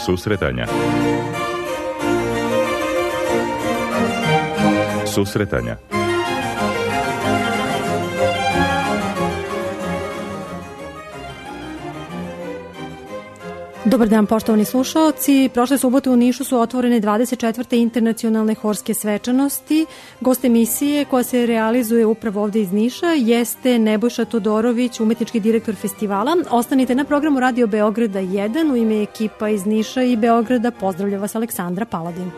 Susretanja. Susretanja. Dobar dan, poštovani slušaoci. Prošle subote u Nišu su otvorene 24. internacionalne horske svečanosti. Gost emisije koja se realizuje upravo ovde iz Niša jeste Nebojša Todorović, umetnički direktor festivala. Ostanite na programu Radio Beograda 1. U ime ekipa iz Niša i Beograda pozdravlja vas Aleksandra Paladin.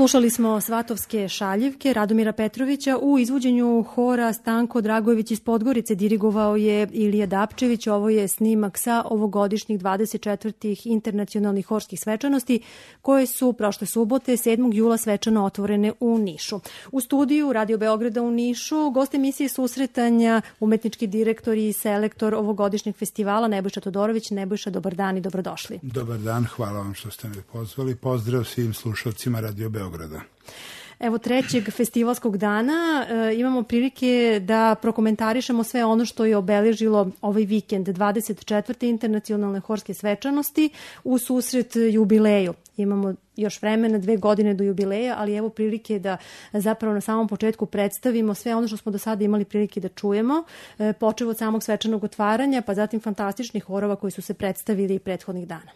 Slušali smo Svatovske šaljivke Radomira Petrovića u izvođenju hora Stanko Dragojević iz Podgorice. Dirigovao je Ilija Dapčević. Ovo je snimak sa ovogodišnjih 24. internacionalnih horskih svečanosti koje su prošle subote 7. jula svečano otvorene u Nišu. U studiju Radio Beograda u Nišu gost emisije Susretanja, umetnički direktor i selektor ovogodišnjeg festivala Nebojša Todorović. Nebojša, dobar dan i dobrodošli. Dobar dan, hvala vam što ste me pozvali. Pozdrav svim slušalcima Radio Beograda. Evo, 3. festivalskog dana imamo prilike da prokomentarišemo sve ono što je obeležilo ovaj vikend 24. internacionalne horske svečanosti u susret jubileju. Imamo još vremena, 2 godine do jubileja, ali evo prilike da zapravo na samom početku predstavimo sve ono što smo do sada imali prilike da čujemo, počev od samog svečanog otvaranja, pa zatim fantastičnih horova koji su se predstavili prethodnih dana.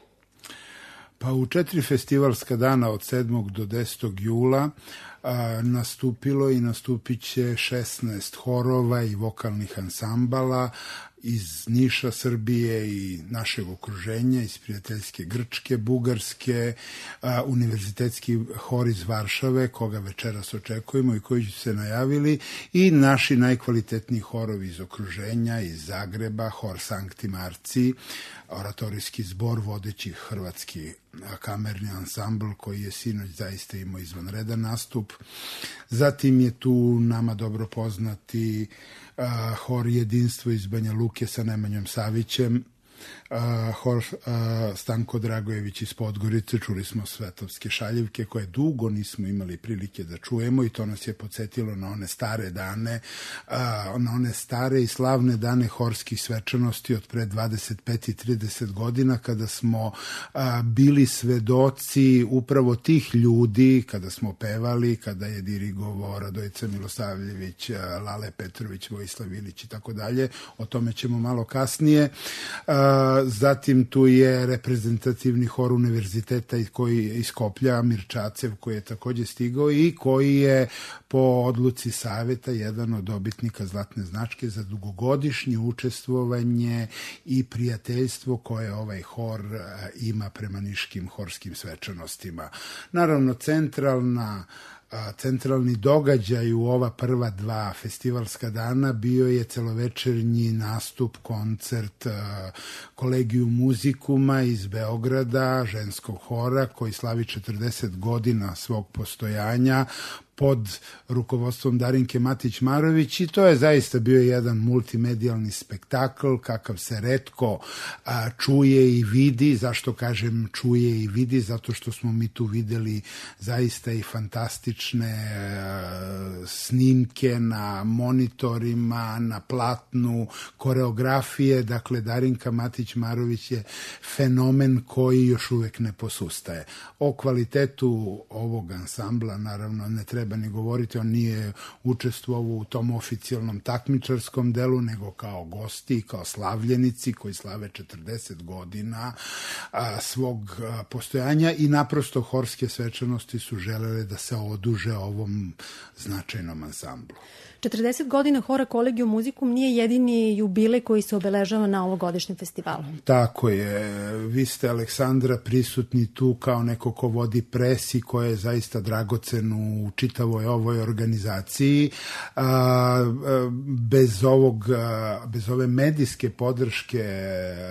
Pa u 4 festivalska dana od 7. do 10. jula nastupilo i nastupit će 16 horova i vokalnih ansambala iz Niša, Srbije i našeg okruženja, iz prijateljske Grčke, Bugarske, univerzitetski hor iz Varšave, koga večeras očekujemo i koji su se najavili, i naši najkvalitetniji horovi iz okruženja, iz Zagreba, hor Sankti Marci, oratorijski zbor, vodeći hrvatski kamerni ansambl koji je sinoć zaista imao izvanredan nastup. Zatim je tu nama dobro poznati hor Jedinstvo iz Banja Luke sa Nemanjom Savićem, hor Stanko Dragojević iz Podgorice, čuli smo Svetovske šaljivke koje dugo nismo imali prilike da čujemo i to nas je podsjetilo na one stare dane, na one stare i slavne dane horskih svečanosti od pre 25 i 30 godina kada smo bili svedoci upravo tih ljudi, kada smo pevali, kada je dirigovao Radojica Milosavljević, Lale Petrović, Vojislav Ilić i tako dalje. O tome ćemo malo kasnije. Zatim tu je reprezentativni hor univerziteta koji iz Skoplja, Mirčacev, koji je takođe stigao i koji je po odluci saveta jedan od dobitnika zlatne značke za dugogodišnje učestvovanje i prijateljstvo koje ovaj hor ima prema niškim horskim svečanostima. Naravno, centralni događaj u ova prva 2 festivalska dana bio je celovečernji nastup, koncert Collegium Musicuma iz Beograda, ženskog hora koji slavi 40 godina svog postojanja pod rukovodstvom Darinke Matić-Marović i to je zaista bio jedan multimedijalni spektakl kakav se retko čuje i vidi. Zašto kažem čuje i vidi? Zato što smo mi tu videli zaista i fantastične snimke na monitorima, na platnu, koreografije. Dakle, Darinka Matić-Marović je fenomen koji još uvek ne posustaje. O kvalitetu ovog ansambla naravno ne treba ni govoriti, on nije učestvovao u tom oficijalnom takmičarskom delu, nego kao gosti, kao slavljenici koji slave 40 godina svog postojanja i naprosto horske svečanosti su želele da se oduže ovom značajnom ansamblu. 40 godina hora Collegium Musicum nije jedini jubilej koji se obeležava na ovogodišnjem festivalu. Tako je. Vi ste, Aleksandra, prisutni tu kao neko ko vodi pres i ko je zaista dragocen u čitavoj ovoj organizaciji. Bez ove medijske podrške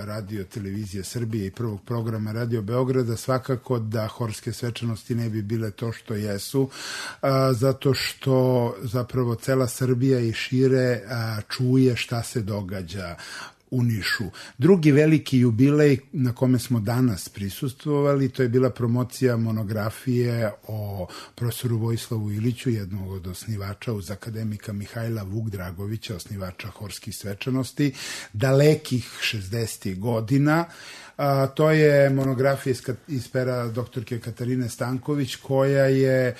Radio Televizije Srbije i prvog programa Radio Beograda svakako da horske svečanosti ne bi bile to što jesu, zato što zapravo cela Srbija i šire čuje šta se događa u Nišu. Drugi veliki jubilej na kome smo danas prisustvovali, to je bila promocija monografije o profesoru Vojislavu Iliću, jednog od osnivača uz akademika Mihajla Vuk-Dragovića, osnivača horskih svečanosti, dalekih 60. godina. To je monografija iz pera doktorke Katarine Stanković koja je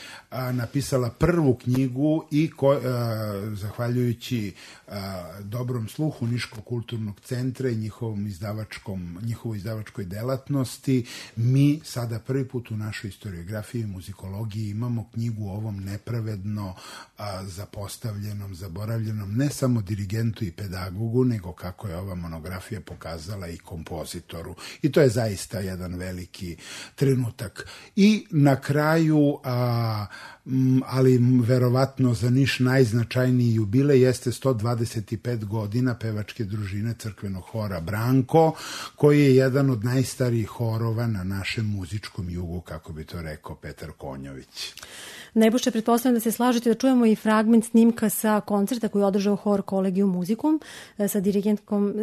napisala prvu knjigu i zahvaljujući dobrom sluhu Niškog kulturnog centra i njihovoj izdavačkoj delatnosti, mi sada prvi put u našoj historiografiji i muzikologiji imamo knjigu o ovom nepravedno zapostavljenom, zaboravljenom ne samo dirigentu i pedagogu, nego kako je ova monografija pokazala i kompozitoru. I to je zaista jedan veliki trenutak. I na kraju, ali verovatno za Niš najznačajniji jubilej jeste 125 godina pevačke družine crkvenog hora Branko, koji je jedan od najstarijih horova na našem muzičkom jugu, kako bi to rekao Petar Konjović. Nebojša, pretpostavljam da se slažete da čujemo i fragment snimka sa koncerta koji je održao hor Collegium Musicum sa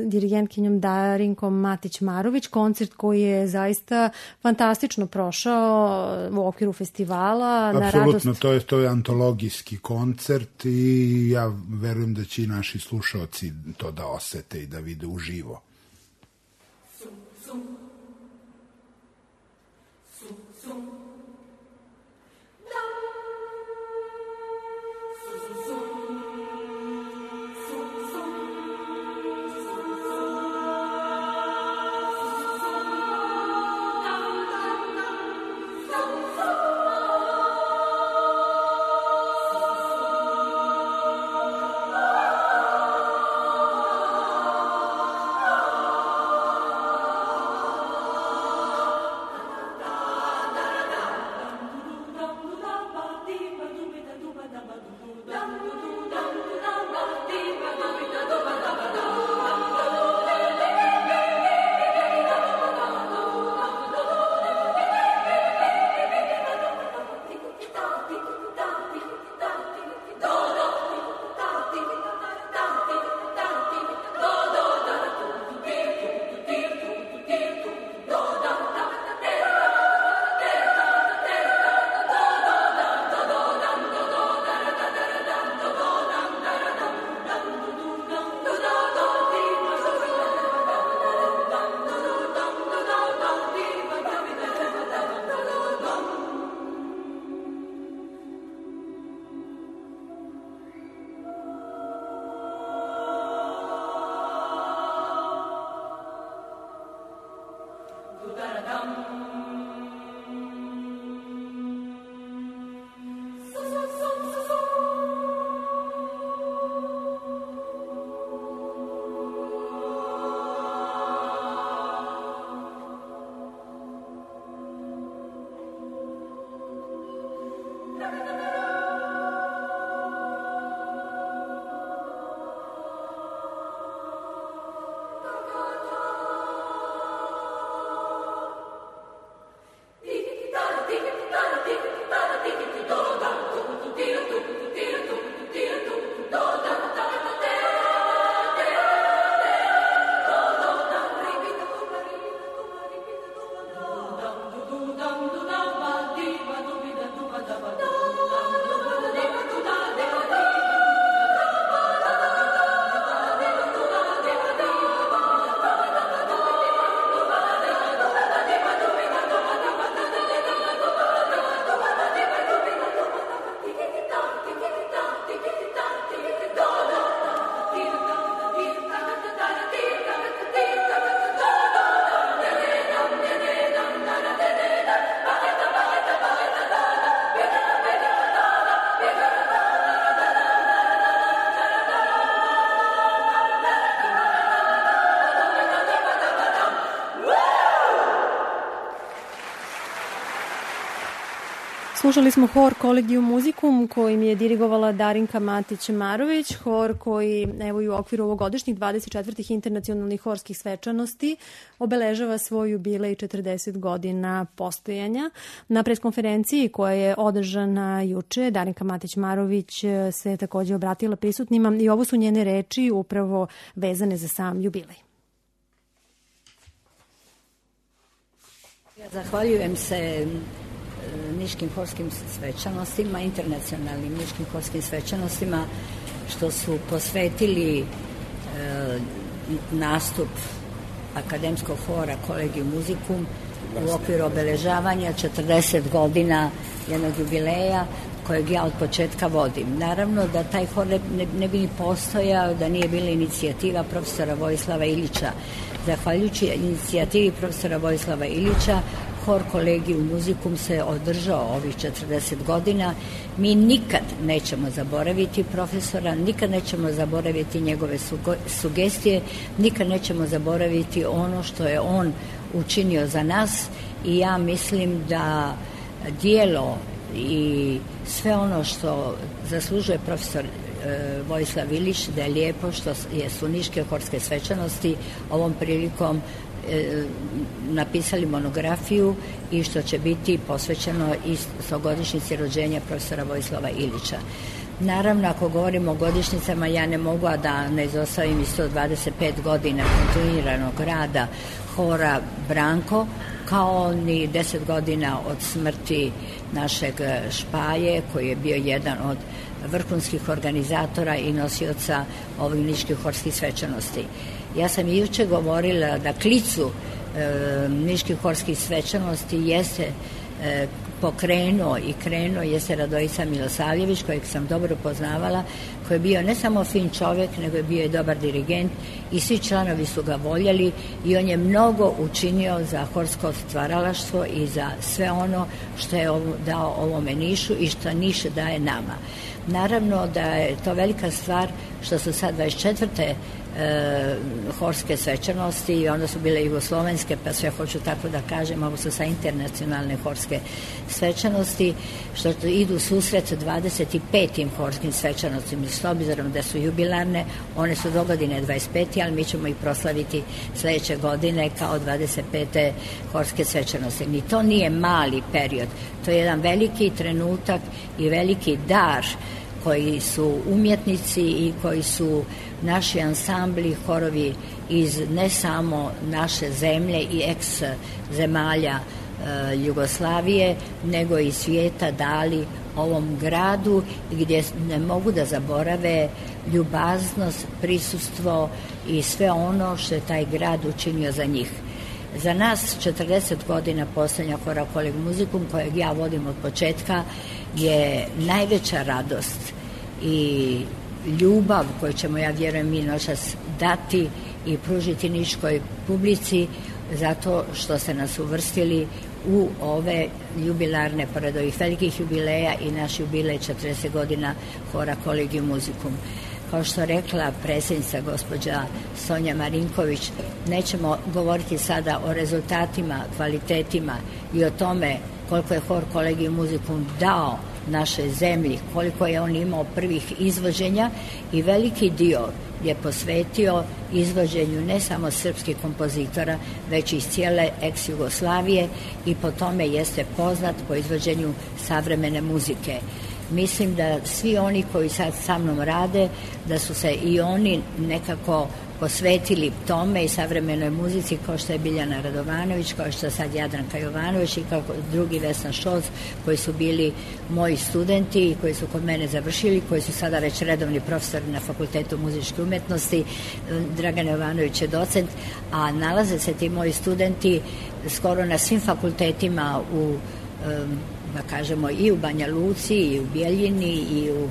dirigentkinjom Darinkom Matić-Marović, koncert koji je zaista fantastično prošao u okviru festivala. Apsolutno, to je antologijski koncert i ja verujem da će i naši slušaoci to da osete i da vide uživo. Slušali smo hor Collegium Musicum kojim je dirigovala Darinka Matić-Marović, hor koji evo i u okviru ovogodišnjih 24. internacionalnih horskih svečanosti obeležava svoj jubilej 40 godina postojanja. Na preskonferenciji koja je održana juče, Darinka Matić-Marović se takođe obratila prisutnima i ovo su njene reči upravo vezane za sam jubilej. Zahvaljujem se niškim horskim svečanostima, internacionalnim niškim horskim svečanostima, što su posvetili nastup akademskog hora Collegium Musicum u okviru obeležavanja 40 godina jednog jubileja kojeg ja od početka vodim. Naravno da taj hor ne bi ni postojao da nije bila inicijativa profesora Vojislava Ilića. Zahvaljujući inicijativi profesora Vojislava Ilića, hor Collegium Musicum se održao ovih 40 godina. Mi nikad nećemo zaboraviti profesora, nikad nećemo zaboraviti njegove sugestije, nikad nećemo zaboraviti ono što je on učinio za nas i ja mislim da dijelo i sve ono što zaslužuje profesor Vojislav Ilić, da je lijepo što su niške horske svečanosti ovom prilikom napisali monografiju i što će biti posvećeno i 100-godišnjici rođenja profesora Vojislava Ilića. Naravno, ako govorimo o godišnjicama, ja ne mogu da ne izostavim i 125 godina kontinuiranog rada hora Branko, kao ni 10 godina od smrti našeg Špaje, koji je bio jedan od vrhunskih organizatora i nosioca ovih niških horskih svečanosti. Ja sam i juče govorila da klicu niških horskih svečanosti jeste pokrenuo i krenuo jeste Radojica Milosavljević, kojeg sam dobro poznavala, koji je bio ne samo fin čovjek, nego je bio i dobar dirigent i svi članovi su ga voljeli i on je mnogo učinio za horsko stvaralaštvo i za sve ono što je dao ovome Nišu i što Niš daje nama. Naravno da je to velika stvar što su sad 24. horske svečanosti i onda su bile jugoslovenske, pa sve hoću tako da kažem, ovo su sa internacionalne horske svečanosti, što idu susret 25. horskim svečanostima, s obzirom da su jubilarne, one su do godine 25. ali mi ćemo ih proslaviti sledeće godine kao 25. horske svečanosti. Ni to nije mali period, to je jedan veliki trenutak i veliki dar koji su umjetnici i koji su naši ansambli, horovi iz ne samo naše zemlje i eks zemalja Jugoslavije, nego i svijeta dali ovom gradu, gdje ne mogu da zaborave ljubaznost, prisustvo i sve ono što je taj grad učinio za njih. Za nas 40 godina postojanja hora Koleg muzikum, kojeg ja vodim od početka, je najveća radost i ljubav koju ćemo, ja vjerujem, mi noćas dati i pružiti niškoj publici, zato što ste nas uvrstili u ove jubilarne, pored ovih velikih jubileja i naš jubilej 40 godina hora Kolegium Musicum. Kao što rekla predsjednica gospođa Sonja Marinković, nećemo govoriti sada o rezultatima, kvalitetima i o tome koliko je hor Kolegium Musicum dao našoj zemlji, koliko je on imao prvih izvođenja i veliki dio je posvetio izvođenju ne samo srpskih kompozitora, već iz cijele ex-Jugoslavije i po tome jeste poznat po izvođenju savremene muzike. Mislim da svi oni koji sad sa mnom rade, da su se i oni nekako posvetili tome i savremenoj muzici, kao što je Biljana Radovanović, kao što je sad Jadranka Jovanović i kao drugi Vesna Šolc, koji su bili moji studenti i koji su kod mene završili, koji su sada već redovni profesori na Fakultetu muzičke umetnosti. Dragan Jovanović je docent, a nalaze se ti moji studenti skoro na svim fakultetima u, da kažemo, i u Banja Luci, i u Bjeljini, i u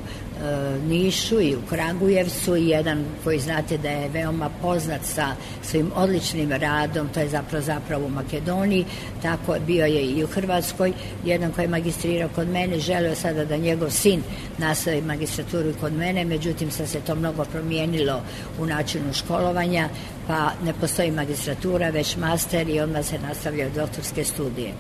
Nišu, i u Kragujevcu, i jedan koji znate da je veoma poznat sa svojim odličnim radom, to je zapravo u Makedoniji, tako bio je i u Hrvatskoj, jedan koji je magistrirao kod mene, želeo sada da njegov sin nastavi magistraturu kod mene, međutim sad se to mnogo promijenilo u načinu školovanja, pa ne postoji magistratura, već master i odmah se nastavljaju doktorske studije.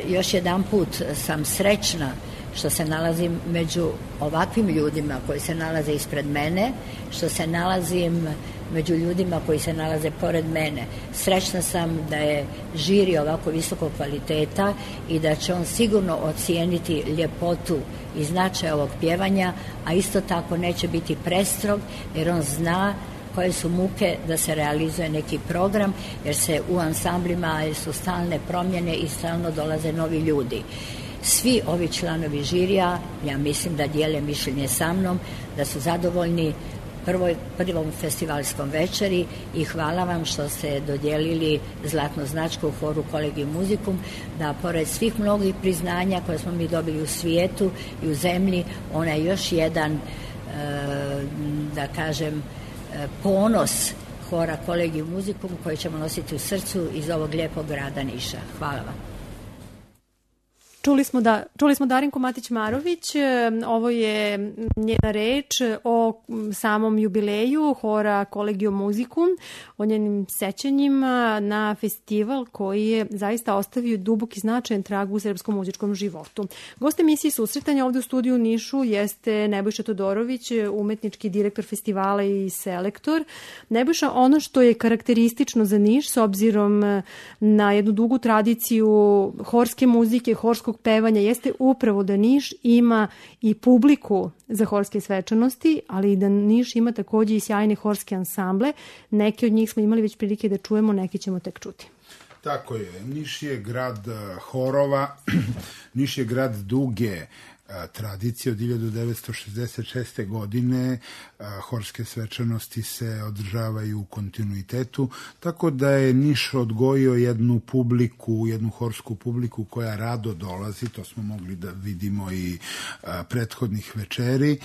Još jedan put sam srećna što se nalazim među ovakvim ljudima koji se nalaze ispred mene, što se nalazim među ljudima koji se nalaze pored mene. Srećna sam da je žiri ovako visokog kvaliteta i da će on sigurno ocijeniti ljepotu i značaj ovog pjevanja, a isto tako neće biti prestrog, jer on zna koje su muke da se realizuje neki program, jer se u ansamblima su stalne promjene i stalno dolaze novi ljudi. Svi ovi članovi žirija, ja mislim da dijele mišljenje sa mnom, da su zadovoljni prvom festivalskom večeri i hvala vam što ste dodijelili zlatnu značku u horu Kolegium Musicum, da pored svih mnogih priznanja koje smo mi dobili u svijetu i u zemlji, ona je još jedan, da kažem, ponos hora Kolegium Musicum koji ćemo nositi u srcu iz ovog lijepog grada Niša. Hvala vam. Čuli smo Darinku Matić-Marović, ovo je njena reč o samom jubileju hora Collegium Musicum, o njenim sećanjima na festival koji je zaista ostavio dubok i značajan trag u srpskom muzičkom životu. Gost emisije Susretanja ovde u studiju u Nišu jeste Nebojša Todorović, umetnički direktor festivala i selektor. Nebojša, ono što je karakteristično za Niš s obzirom na jednu dugu tradiciju horske muzike, horskog pevanja, jeste upravo da Niš ima i publiku za horske svečanosti, ali i da Niš ima takođe i sjajne horske ansamble. Neke od njih smo imali već prilike da čujemo, neke ćemo tek čuti. Tako je. Niš je grad horova, Niš je grad duge tradicije. Od 1966. godine horske svečanosti se održavaju u kontinuitetu, tako da je Niš odgojio jednu publiku, jednu horsku publiku koja rado dolazi, to smo mogli da vidimo i prethodnih večeri,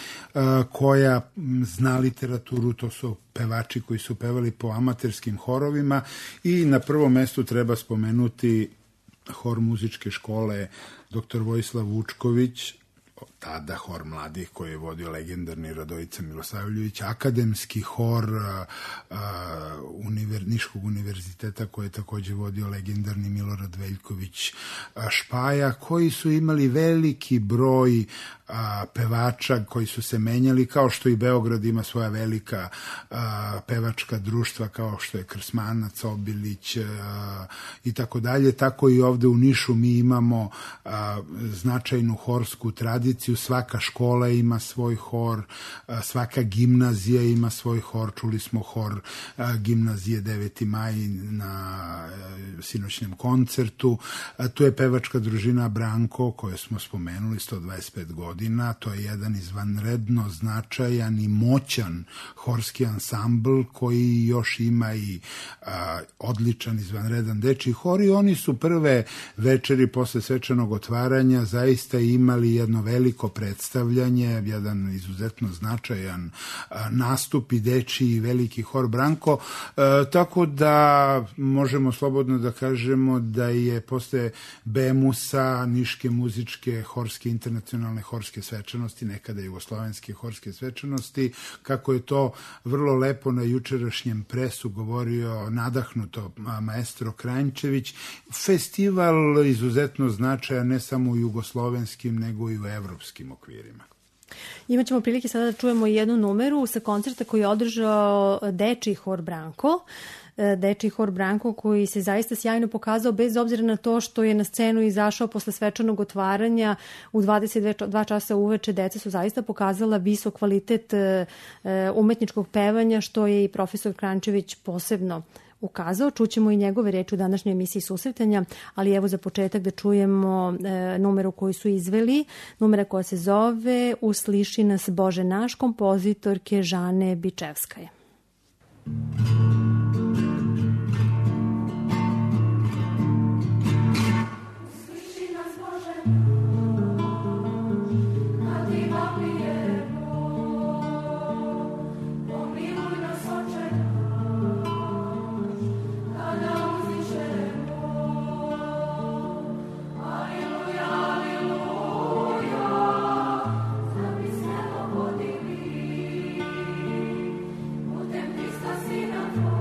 koja zna literaturu, to su pevači koji su pevali po amaterskim horovima i na prvom mestu treba spomenuti hor muzičke škole dr. Vojislav Vučković, tada hor mladih koji je vodio legendarni Radojica Milosavljević, akademski hor Niškog univerziteta koji je takođe vodio legendarni Milorad Veljković Špaja, koji su imali veliki broj pevača koji su se menjali, kao što i Beograd ima svoja velika pevačka društva, kao što je Krsmanac, Obilić i tako dalje, tako i ovde u Nišu mi imamo značajnu horsku tradiciju. Svaka škola ima svoj hor, svaka gimnazija ima svoj hor. Čuli smo hor gimnazije 9. maj na sinoćnjem koncertu. Tu je pevačka družina Branko, koju smo spomenuli, 125 godina. To je jedan izvanredno značajan i moćan horski ansambl koji još ima i odličan izvanredan dečiji hor i oni su prve večeri posle svečanog otvaranja zaista imali jedno veliko predstavljanje, jedan izuzetno značajan nastup i dečiji veliki hor Branko, tako da možemo slobodno da kažemo da je posle BEMUS-a, Niške muzičke horske, internacionalne horske svečanosti, nekada jugoslovenske horske svečanosti, kako je to vrlo lepo na jučerašnjem presu govorio nadahnuto maestro Kranjčević, festival izuzetno značajan ne samo u jugoslovenskim nego i u evropskim okvirima. Imaćemo prilike sada da čujemo jednu numeru sa koncerta koji je održao dečiji hor Branko. Dečiji hor Branko koji se zaista sjajno pokazao bez obzira na to što je na scenu izašao posle svečanog otvaranja u 22 časa uveče. Deca su zaista pokazala visok kvalitet umetničkog pevanja, što je i profesor Kranjčević posebno ukazao. Čućemo i njegove reči u današnjoj emisiji Susretanja, ali evo za početak da čujemo numeru koju su izveli, numera koja se zove Usliši nas Bože naš, kompozitorke Žane Bičevskaje. Sina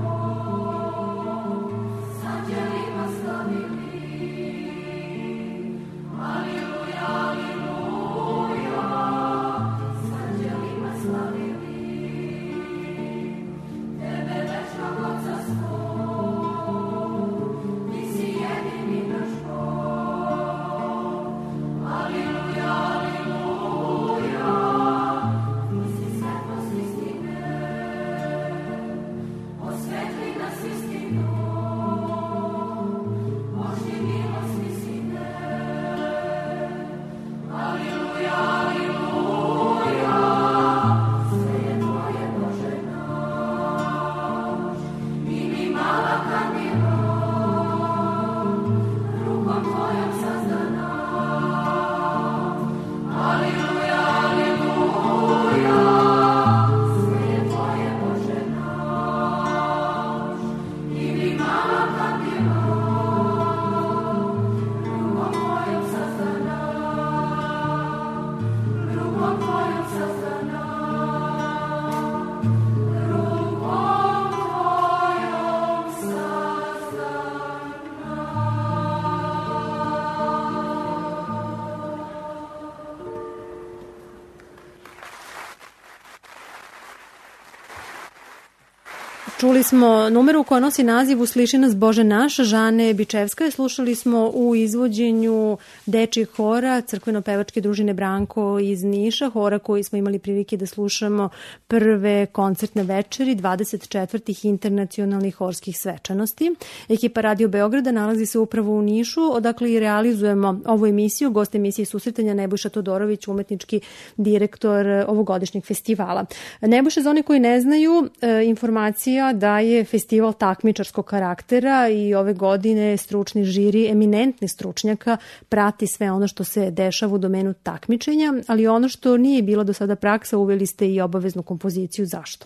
Čuli smo numeru koja nosi naziv Usliši nas Bože naš, Žane Bičevska. Slušali smo u izvođenju dečjih hora crkveno-pevačke družine Branko iz Niša, hora koji smo imali prilike da slušamo prve koncertne večeri 24. internacionalnih horskih svečanosti. Ekipa Radio Beograda nalazi se upravo u Nišu, odakle i realizujemo ovu emisiju. Gost emisije susretanja Nebojša Todorović, umetnički direktor ovogodišnjeg festivala. Nebojša, za one koji ne znaju, informacija da je festival takmičarskog karaktera i ove godine stručni žiri eminentni stručnjaka prati sve ono što se dešava u domenu takmičenja, ali ono što nije bilo do sada praksa, uveli ste i obaveznu kompoziciju. Zašto?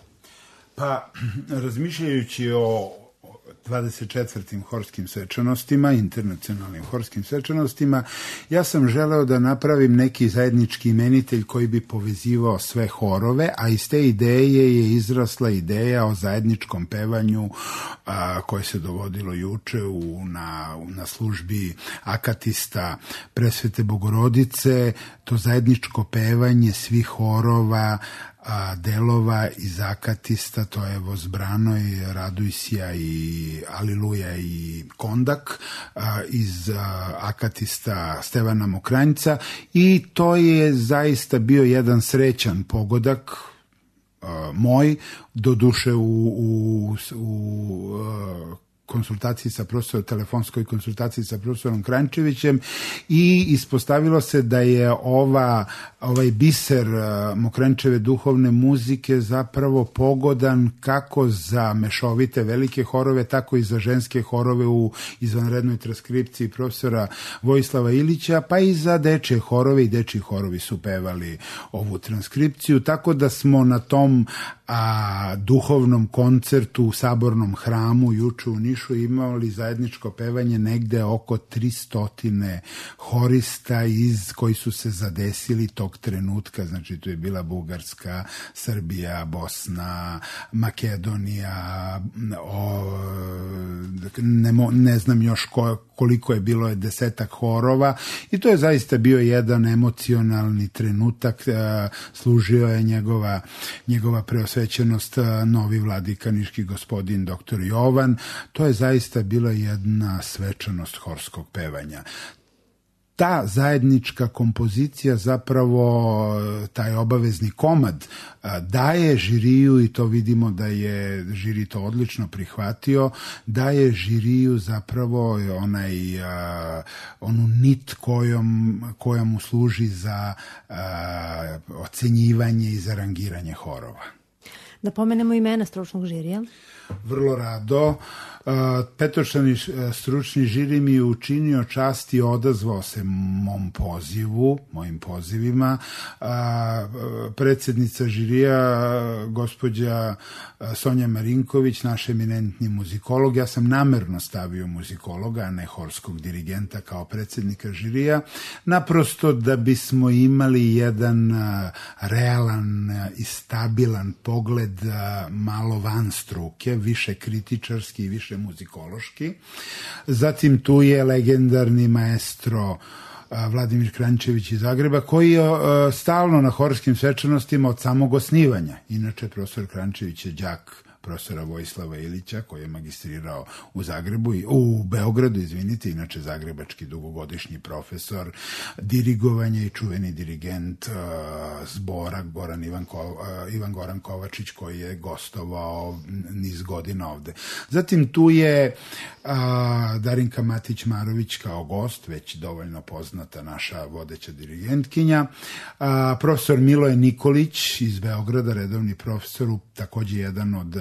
Pa, razmišljajući o 24. horskim svečanostima, internacionalnim horskim svečanostima, ja sam želeo da napravim neki zajednički imenitelj koji bi povezivao sve horove, a iz te ideje je izrasla ideja o zajedničkom pevanju koje se dogodilo juče na službi akatista Presvete Bogorodice. To zajedničko pevanje svih horova, delova iz akatista, to je Vozbranoj, Radujsija i Aliluja i Kondak, iz akatista Stevana Mokranjca, i to je zaista bio jedan srećan pogodak moj, doduše u konsultaciji sa profesorom, telefonskoj konsultaciji sa profesorom Krančevićem, i ispostavilo se da je ovaj biser Mokrančeve duhovne muzike zapravo pogodan kako za mešovite velike horove, tako i za ženske horove u izvanrednoj transkripciji profesora Vojislava Ilića, pa i za dečje horove, i dečji horovi su pevali ovu transkripciju, tako da smo na tom duhovnom koncertu u Sabornom hramu juče u Nišu imali zajedničko pevanje negde oko 300 horista koji su se zadesili tog trenutka. Znači, tu je bila Bugarska, Srbija, Bosna, Makedonija, ne znam još koliko je bilo, 10 horova, i to je zaista bio jedan emocionalni trenutak. Služio je njegova preosvećenost novi vladika niški gospodin dr. Jovan. To je zaista bila jedna svečanost horskog pevanja. Ta zajednička kompozicija, zapravo taj obavezni komad, daje žiriju, i to vidimo da je žiri to odlično prihvatio, daje žiriju zapravo onu nit koja mu služi za ocenjivanje i za rangiranje horova. Da pomenemo imena stručnog žirija. Vrlo rado. Petočlani stručni žiri mi je učinio čast i odazvao se mojim pozivima. Predsjednica žirija, gospođa Sonja Marinković, naš eminentni muzikolog, ja sam namerno stavio muzikologa, a ne horskog dirigenta kao predsjednika žirija, naprosto da bismo imali jedan realan i stabilan pogled malo van struke, više kritičarski i više muzikološki. Zatim tu je legendarni maestro Vladimir Krančević iz Zagreba, koji je stalno na horskim svečanostima od samog osnivanja. Inače, profesor Krančević je đak profesora Vojislava Ilića, koji je magistrirao u Beogradu, inače zagrebački dugogodišnji profesor dirigovanja i čuveni dirigent zbora Ivan Goran Kovačić, koji je gostovao niz godina ovde. Zatim tu je Darinka Matić-Marović kao gost, već dovoljno poznata naša vodeća dirigentkinja, profesor Miloje Nikolić iz Beograda, redovni profesor, takođe jedan od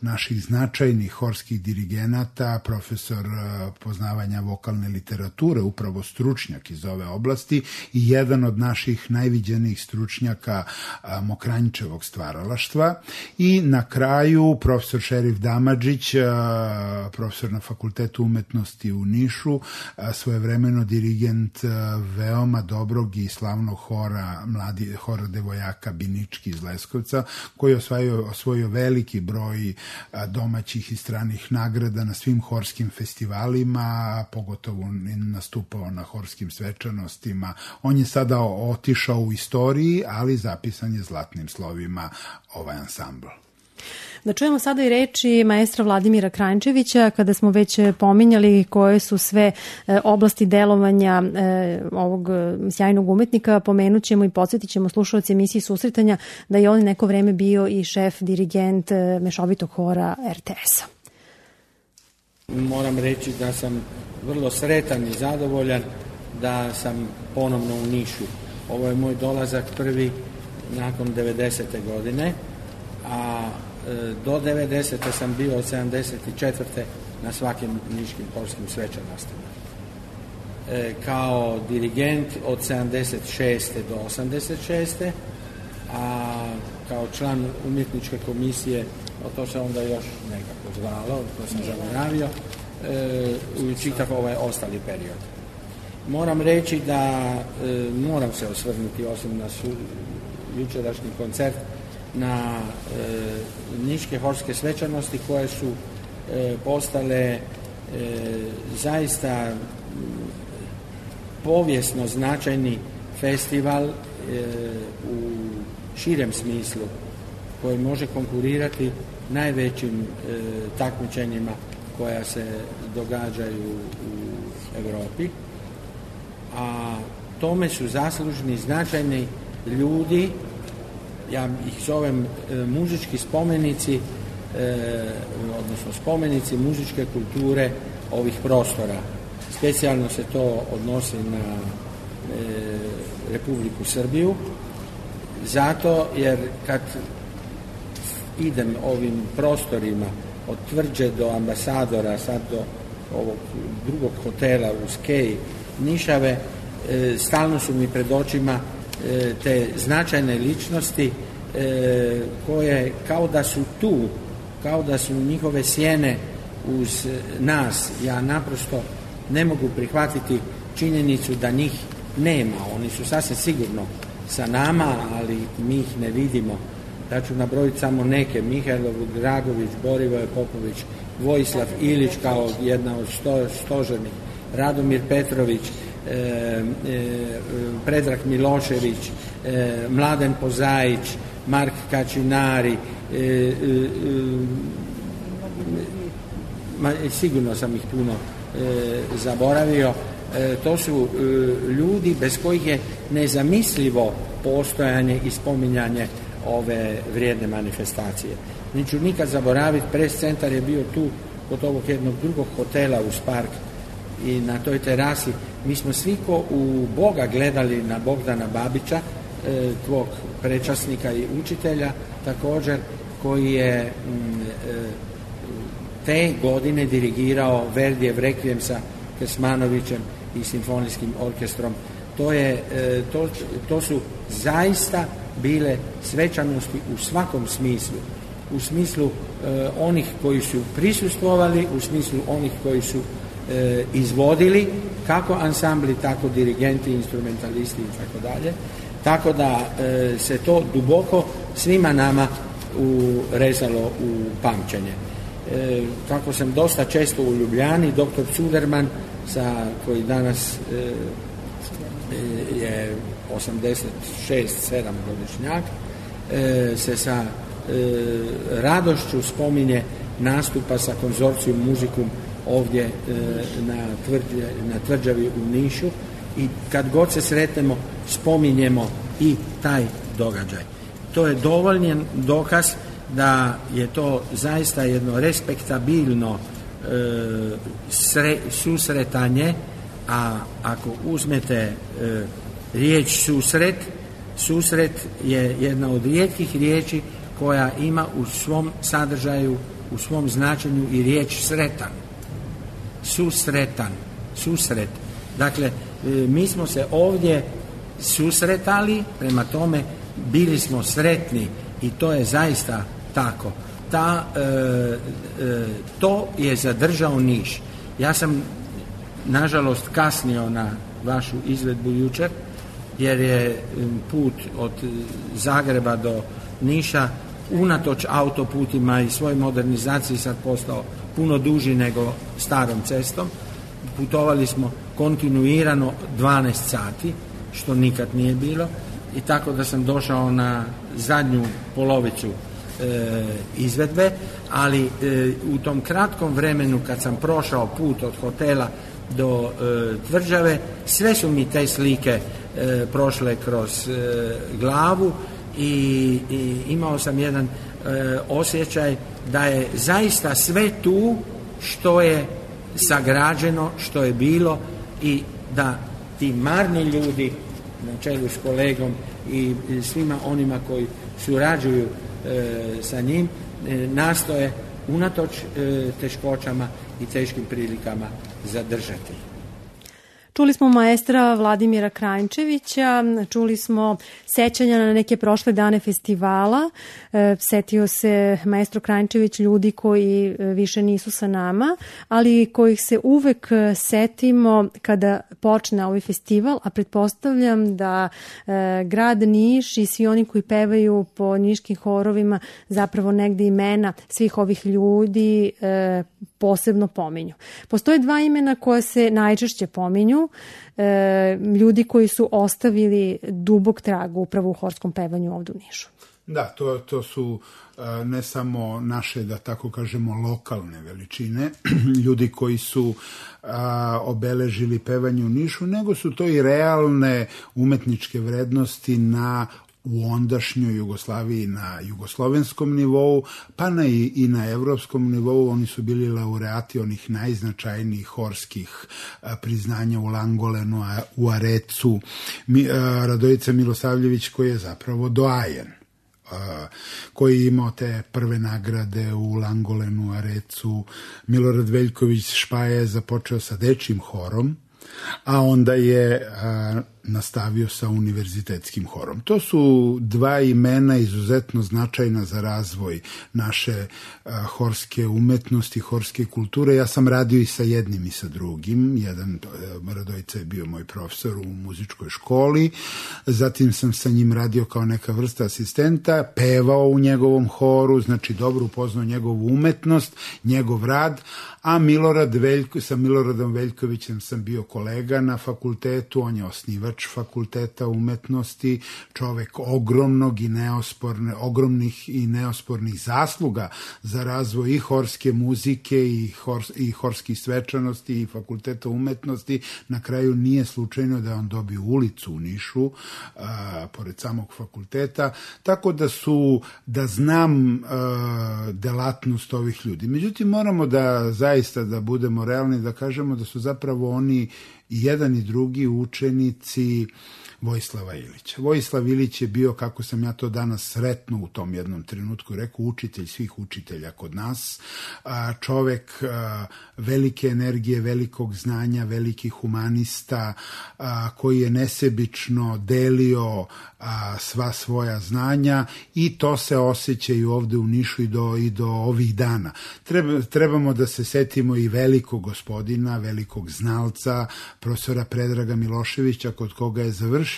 naših značajnih horskih dirigenata, profesor poznavanja vokalne literature, upravo stručnjak iz ove oblasti i jedan od naših najviđenijih stručnjaka Mokranjčevog stvaralaštva. I na kraju profesor Šerif Damadžić, profesor na Fakultetu umetnosti u Nišu, svojevremeno dirigent veoma dobrog i slavnog hora devojaka Binički iz Leskovca, koji je osvojio veliki broj domaćih i stranih nagrada na svim horskim festivalima, pogotovo nastupao na horskim svečanostima. On je sada otišao u istoriji, ali zapisan je zlatnim slovima ovaj ansambl. Da čujemo sada i reči maestra Vladimira Kranjčevića, kada smo već pominjali koje su sve oblasti delovanja ovog sjajnog umetnika, pomenut ćemo i podsjetit ćemo slušalci emisiji Susretanja da je on neko vreme bio i šef, dirigent mešovitog hora RTS-a. Moram reći da sam vrlo sretan i zadovoljan da sam ponovno u Nišu. Ovo je moj dolazak prvi nakon 90. godine, a do 90. sam bio od 74. na svakim niškim horskim svečanostima. Kao dirigent od 76. do 86. a kao član umjetničke komisije, to se onda još nekako zvalo, to sam zaboravio, u čitav ovaj ostali period. Moram reći da moram se osvrnuti osim na jučerašnji koncert na niške horske svečanosti koje su postale zaista povijesno značajni festival u širem smislu koji može konkurirati najvećim takmičenjima koja se događaju u Europi, a tome su zaslužni značajni ljudi, ja ih zovem muzički spomenici, odnosno spomenici muzičke kulture ovih prostora. Specijalno se to odnosi na Republiku Srbiju, zato jer kad idem ovim prostorima od Tvrđe do Ambasadora, sad do ovog drugog hotela u Skeji, Nišave, stalno su mi pred očima te značajne ličnosti koje kao da su tu, kao da su njihove sjene uz nas. Ja naprosto ne mogu prihvatiti činjenicu da njih nema. Oni su sasvim sigurno sa nama, ali mi ih ne vidimo. Ja ću nabrojiti samo neke: Mihajlo Dragović, Borivoje Popović, Vojislav Ilić kao jedna od stožernih, Radomir Petrović, Predrag Milošević, Mladen Pozaić, Mark Kačinari, sigurno sam ih puno zaboravio. To su ljudi bez kojih je nezamislivo postojanje i spominjanje ove vrijedne manifestacije. Neću nikad zaboraviti, pres centar je bio tu kod ovog jednog drugog hotela uz park i na toj terasi mi smo svi ko u Boga gledali na Bogdana Babića, tvog prečasnika i učitelja također, koji je te godine dirigirao Verdijev Rekvijem sa Kersmanovićem i simfonijskim orkestrom. To su zaista bile svečanosti u svakom smislu. U smislu onih koji su prisustvovali, u smislu onih koji su izvodili, kako ansambli, tako dirigenti, instrumentalisti i tako dalje. Tako da se to duboko svima nama urezalo u pamćenje. Kako sam dosta često u Ljubljani, dr. Cuderman, koji danas je 86-7 godišnjak, se sa radošću spominje nastupa sa konzorcijum muzikum ovdje na Tvrđavi u Nišu, i kad god se sretnemo spominjemo i taj događaj. To je dovoljan dokaz da je to zaista jedno respektabilno susretanje, a ako uzmete riječ susret je jedna od rijetkih riječi koja ima u svom sadržaju, u svom značenju i riječ sretan. Susret. Dakle, mi smo se ovdje susretali, prema tome bili smo sretni i to je zaista tako. To je zadržao Niš. Ja sam nažalost kasnio na vašu izvedbu jučer, jer je put od Zagreba do Niša unatoč autoputima i svoj modernizaciji sad postao puno duži nego starom cestom. Putovali smo kontinuirano 12 sati, što nikad nije bilo, i tako da sam došao na zadnju polovicu izvedbe, ali u tom kratkom vremenu kad sam prošao put od hotela do tvrđave, sve su mi te slike prošle kroz glavu i imao sam jedan osjećaj da je zaista sve tu što je sagrađeno, što je bilo, i da ti marni ljudi na čelu s kolegom i svima onima koji surađuju sa njim nastoje unatoč teškoćama i teškim prilikama zadržati. Čuli smo maestra Vladimira Krajnčevića, čuli smo sećanja na neke prošle dane festivala. Setio se maestro Krajnčević ljudi koji više nisu sa nama, ali kojih se uvek setimo kada počne ovaj festival, a pretpostavljam da grad Niš i svi oni koji pevaju po niškim horovima zapravo negde imena svih ovih ljudi posebno pominju. Postoje dva imena koja se najčešće pominju, ljudi koji su ostavili dubok trag upravo u horskom pevanju ovdje u Nišu. Da, to su ne samo naše, da tako kažemo, lokalne veličine, ljudi koji su obeležili pevanje u Nišu, nego su to i realne umetničke vrednosti u ondašnjoj Jugoslaviji na jugoslovenskom nivou, pa i na evropskom nivou. Oni su bili laureati onih najznačajnijih horskih priznanja u Langolenu, u Arecu. Radojica Milosavljević, koji je zapravo doajen, koji je imao te prve nagrade u Langolenu, Arecu. Milorad Veljković Špaja je započeo sa dečjim horom, a onda je nastavio sa univerzitetskim horom. To su dva imena izuzetno značajna za razvoj naše horske umetnosti, horske kulture. Ja sam radio i sa jednim i sa drugim. Jedan, Radojica je bio moj profesor u muzičkoj školi, zatim sam sa njim radio kao neka vrsta asistenta, pevao u njegovom horu, znači dobro upoznao njegovu umetnost, njegov rad, a sa Miloradom Veljkovićem sam bio kolega na fakultetu, on je osnivač fakulteta umetnosti, čovek ogromnih i neospornih zasluga za razvoj i horske muzike i horskih svečanosti i fakulteta umetnosti. Na kraju nije slučajno da on dobio ulicu u Nišu, pored samog fakulteta, tako da znam delatnost ovih ljudi. Međutim, moramo zaista da budemo realni, da kažemo da su zapravo oni i jedan i drugi učenici Vojislava Ilića. Vojislav Ilić je bio, kako sam ja to danas sretno u tom jednom trenutku rekao, učitelj svih učitelja kod nas, čovek velike energije, velikog znanja, velikih humanista, koji je nesebično delio sva svoja znanja, i to se osjeća i ovde u Nišu i do ovih dana. Trebamo da se setimo i velikog gospodina, velikog znalca, profesora Predraga Miloševića, kod koga je završio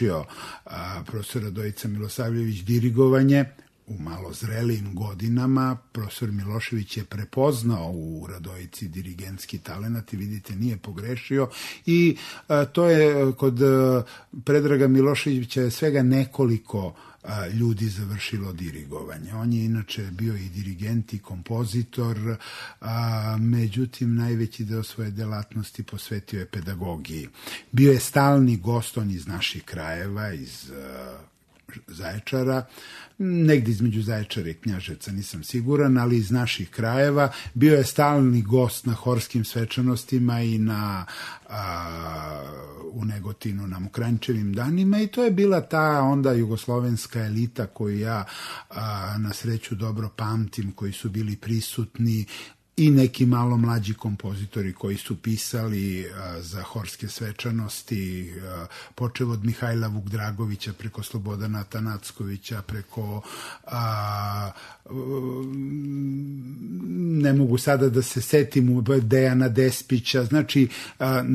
profesor Radojica Milosavljević dirigovanje u malo zrelijim godinama. Profesor Milošević je prepoznao u Radojici dirigentski talenat i vidite, nije pogrešio, i to je kod Predraga Miloševića je svega nekoliko ljudi završilo dirigovanje. On je inače bio i dirigent i kompozitor, međutim najveći deo svoje delatnosti posvetio je pedagogiji. Bio je stalni gost, on iz naših krajeva, iz Zaječara, negdje između Zaječara i Knjaževca, nisam siguran, ali iz naših krajeva. Bio je stalni gost na horskim svečanostima i u Negotinu na Mokranjčevim danima, i to je bila ta onda jugoslovenska elita koju ja na sreću dobro pamtim, koji su bili prisutni, i neki malo mlađi kompozitori koji su pisali za horske svečanosti, počev od Mihajla Vukdragovića, preko Slobodana Tanackovića, preko ne mogu sada da se setim, Dejana Despića. Znači,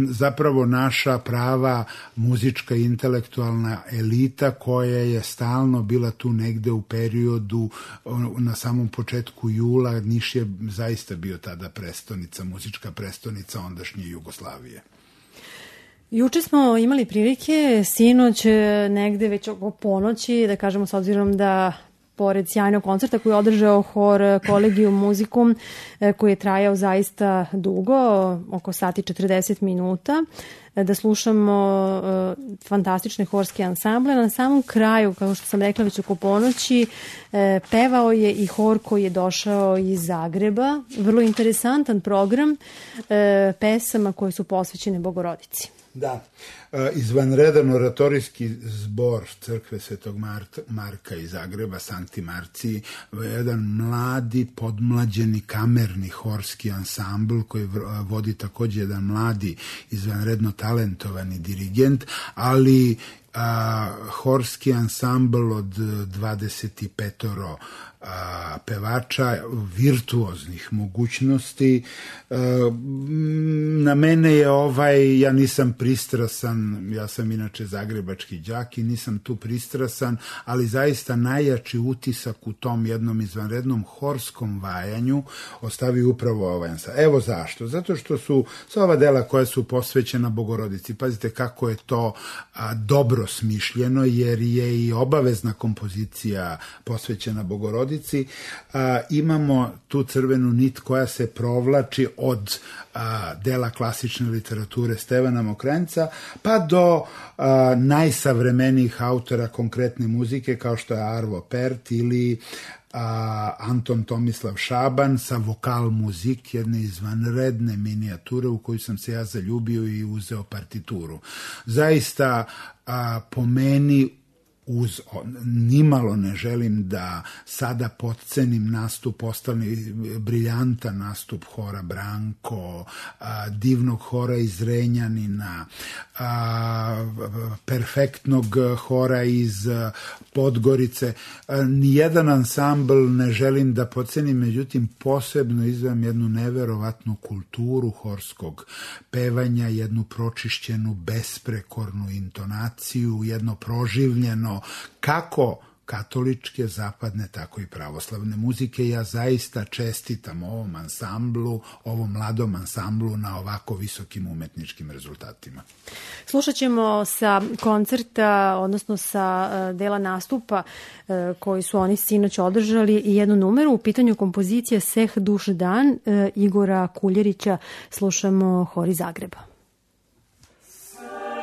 zapravo naša prava muzička i intelektualna elita koja je stalno bila tu negde u periodu, na samom početku jula. Niš je zaista bio tada prestonica, muzička prestonica ondašnje Jugoslavije. Juče smo imali prilike, sinoć negde već oko ponoći, da kažemo, s obzirom da pored sjajnog koncerta koji je održao hor Collegium Musicum, koji je trajao zaista dugo, oko sati 40 minuta, da slušamo fantastične horske ansamble. Na samom kraju, kao što sam rekla već oko ponoći, pevao je i hor koji je došao iz Zagreba. Vrlo interesantan program pesama koje su posvećene Bogorodici. Da, izvanredan oratorijski zbor crkve Svetog Marka iz Zagreba, Sankti Marciji, jedan mladi, podmlađeni kamerni horski ansambl koji vodi takođe jedan mladi, izvanredno talentovani dirigent, ali horski ansambl od 25 pevača, virtuoznih mogućnosti. Na mene je ja nisam pristrasan, ja sam inače zagrebački đak i nisam tu pristrasan, ali zaista najjači utisak u tom jednom izvanrednom horskom vajanju ostavi upravo ovaj ansambl. Evo zašto? Zato što su sva ova dela koja su posvećena Bogorodici, pazite kako je to dobro smišljeno, jer je i obavezna kompozicija posvećena Bogorodici. Imamo tu crvenu nit koja se provlači od dela klasične literature Stevana Mokranjca pa do najsavremenijih autora konkretne muzike kao što je Arvo Pärt ili Anton Tomislav Šaban sa Vokal Muzik, jedne izvanredne minijature u koju sam se ja zaljubio i uzeo partituru. Zaista po meni nimalo ne želim da sada potcenim nastup, ostali briljantan nastup hora Branko, divnog hora iz Renjanina, perfektnog hora iz Podgorice. Nijedan ansambl ne želim da potcenim, međutim posebno izdvajam jednu neverovatnu kulturu horskog pevanja, jednu pročišćenu, besprekornu intonaciju, jedno proživljeno kako katoličke, zapadne, tako i pravoslavne muzike. Ja zaista čestitam ovom ansamblu, ovom mladom ansamblu na ovako visokim umetničkim rezultatima. Slušat ćemo sa koncerta, odnosno sa dela nastupa koji su oni sinoć održali i jednu numeru. U pitanju kompozicije Seh duš dan Igora Kuljerića. Slušamo hor iz Zagreba. Thank you.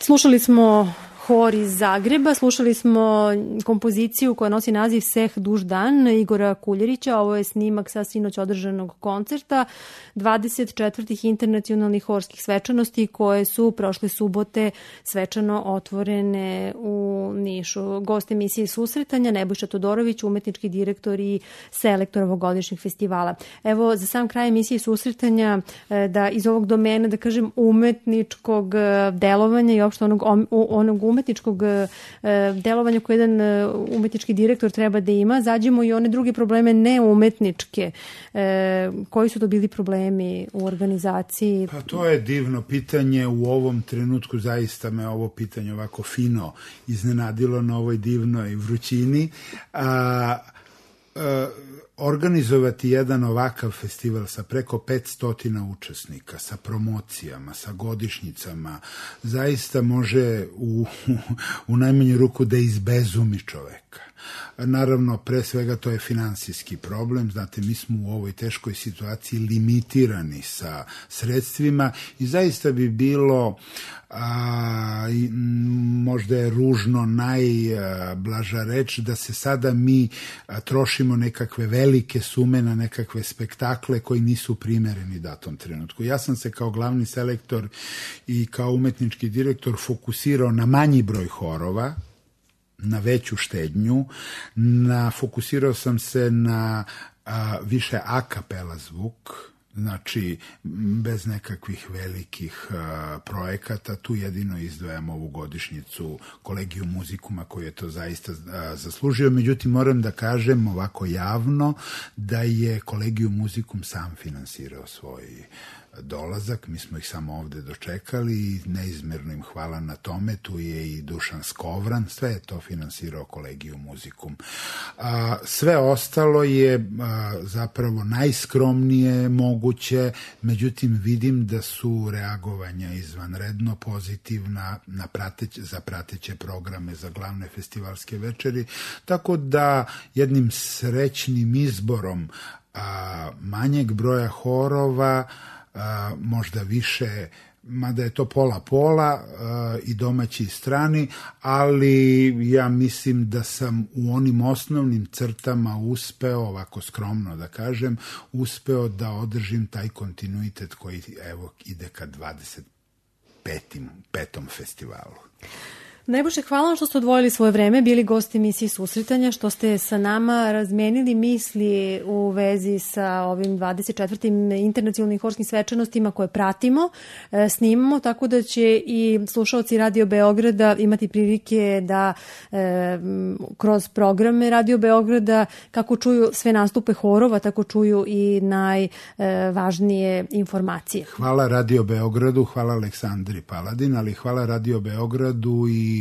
Slušali smo hor iz Zagreba, slušali smo kompoziciju koja nosi naziv Seh duž dan Igora Kuljerića. Ovo je snimak sa sinoć održanog koncerta 24. internacionalnih horskih svečanosti koje su prošle subote svečano otvorene u Nišu. Gost emisije Susretanja Nebojša Todorović, umetnički direktor i selektor ovogodišnjeg festivala. Evo, za sam kraj emisije Susretanja, da iz ovog domena, da kažem, umetničkog delovanja i opšte onog umetničkog delovanja koje jedan umetnički direktor treba da ima, zađemo i one druge probleme neumetničke. Koji su to bili problemi u organizaciji? Pa to je divno pitanje. U ovom trenutku zaista me ovo pitanje ovako fino iznenadilo na ovoj divnoj vrućini. Organizovati jedan ovakav festival sa preko 500 učesnika, sa promocijama, sa godišnjicama, zaista može u najmanju ruku da izbezumi čoveka. Naravno, pre svega to je finansijski problem. Znate, mi smo u ovoj teškoj situaciji limitirani sa sredstvima i zaista bi bilo možda je ružno najblaža reč da se sada mi trošimo nekakve velike sume na nekakve spektakle koji nisu primereni datom trenutku. Ja sam se kao glavni selektor i kao umetnički direktor fokusirao na manji broj horova, na veću štednju, fokusirao sam se na više a kapela zvuk, znači bez nekakvih velikih projekata. Tu jedino izdvajam ovu godišnjicu Kolegiju muzikuma koji je to zaista zaslužio. Međutim, moram da kažem ovako javno da je Kolegiju muzikum sam finansirao svoj dolazak, mi smo ih samo ovde dočekali i neizmerno im hvala na tome. Tu je i Dušan Skovran, sve je to finansirao Kolegiju muzikum. Sve ostalo je zapravo najskromnije moguće, međutim vidim da su reagovanja izvanredno pozitivna za prateće programe za glavne festivalske večeri, tako da jednim srećnim izborom manjeg broja horova, možda više, mada je to pola-pola i domaći i strani, ali ja mislim da sam u onim osnovnim crtama uspeo, ovako skromno da kažem, uspeo da održim taj kontinuitet koji evo ide ka 25. festivalu. Najbolje hvala vam što ste odvojili svoje vreme, bili gosti emisije Susretanja, što ste sa nama razmenili misli u vezi sa ovim 24. internacionalnim horskim svečanostima koje pratimo, snimamo, tako da će i slušaoci Radio Beograda imati prilike da kroz programe Radio Beograda, kako čuju sve nastupe horova, tako čuju i najvažnije informacije. Hvala Radio Beogradu, hvala Aleksandri Paladin, ali hvala Radio Beogradu i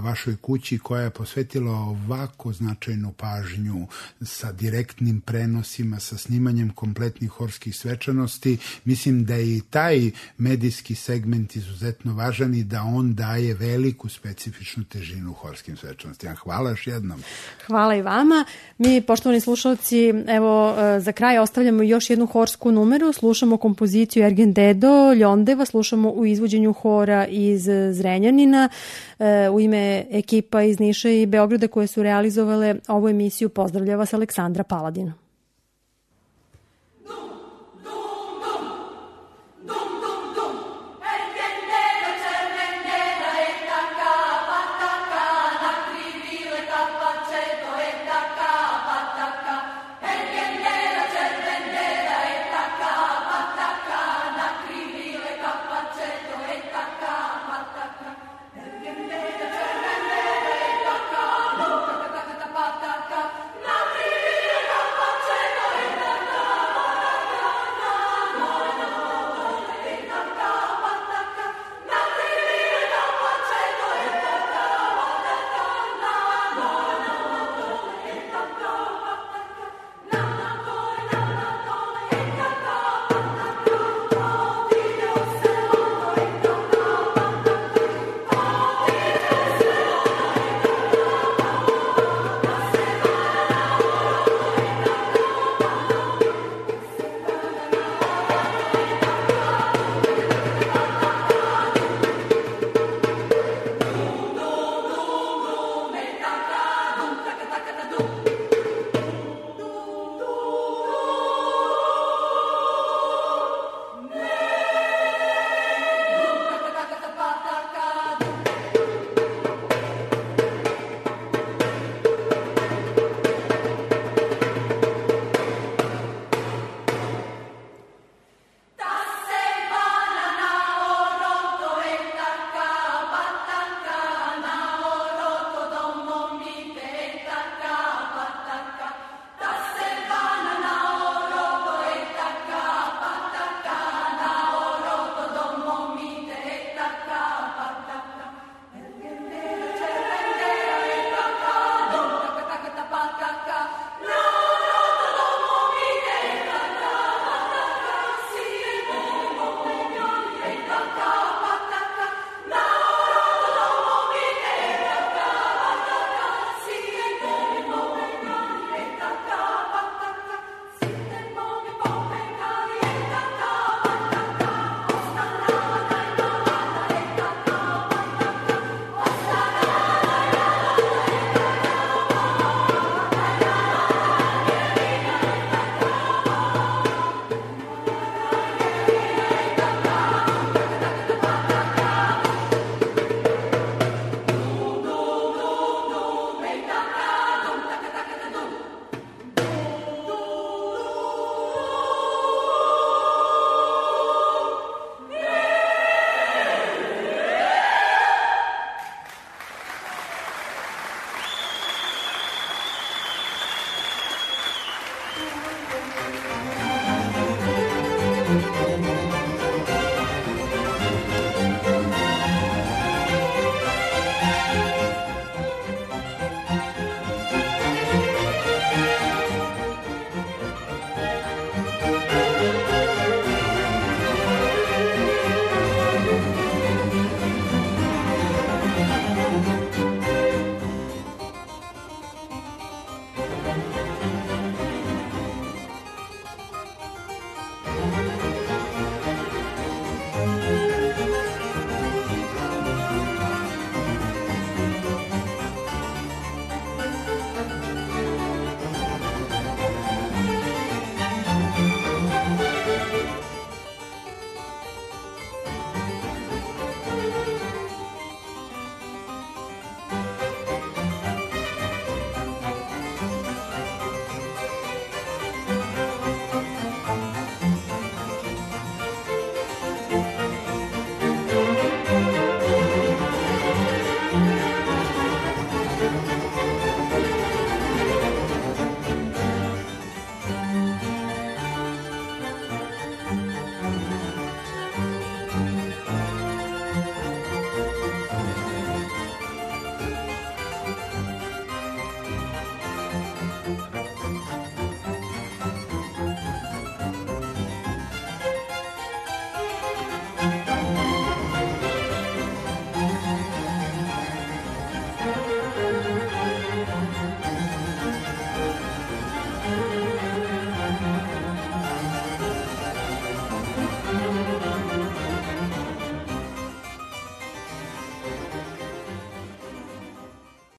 vašoj kući koja je posvetila ovako značajnu pažnju sa direktnim prenosima, sa snimanjem kompletnih horskih svečanosti. Mislim da je i taj medijski segment izuzetno važan i da on daje veliku specifičnu težinu horskim svečanostima. Hvala još jednom. Hvala i vama. Mi, poštovani slušalci, evo za kraj ostavljamo još jednu horsku numeru. Slušamo kompoziciju Ergen Dedo, Ljondeva, slušamo u izvođenju hora iz Zrenjanina. U ime ekipa iz Niša i Beograda koje su realizovale ovu emisiju pozdravlja vas Aleksandra Paladina.